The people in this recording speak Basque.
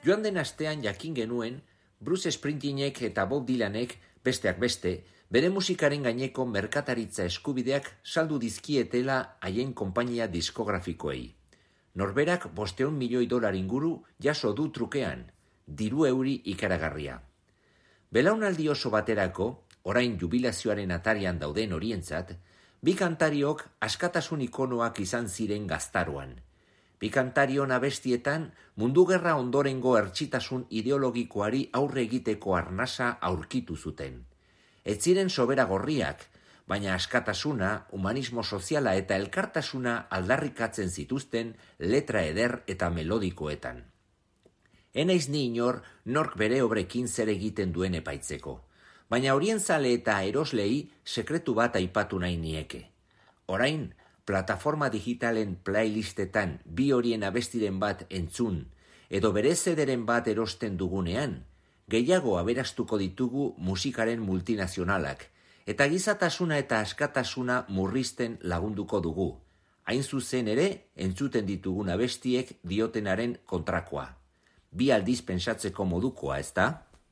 Joan den astean jakin genuen, Bruce Springsteenek eta Bob Dylanek, besteak beste, bere musikaren gaineko merkataritza eskubideak saldu dizkietela haien konpainia diskografikoei. Norberak $500 milioi inguru jaso du trukean, diru euri ikaragarria. Belaunaldi oso baterako, orain jubilazioaren atarian dauden horientzat, bi kantariok askatasun ikonoak izan ziren gaztaroan. Bi kantarion abestietan mundu gerra ondorengo hertsitasun ideologikoari aurre egiteko arnasa aurkitu zuten. Ez ziren sobera gorriak, baina askatasuna, humanismo soziala eta elkartasuna aldarrikatzen zituzten letra eder eta melodikoetan. Enaiz ni inor nork bere obrekin zer egiten duen epaitzeko, baina horien zale eta eroslei sekretu bat aipatu nahi nieke. Orain, plataforma digitalen playlistetan bi horien abestiren bat entzun, edo bere zederen bat erosten dugunean, gehiago aberastuko ditugu musikaren multinazionalak, eta gizatasuna eta askatasuna murrizten lagunduko dugu. Hain zuzen ere, entzuten ditugun abestiek diotenaren kontrakoa. Bi aldiz pentsatzeko modukoa, ezta?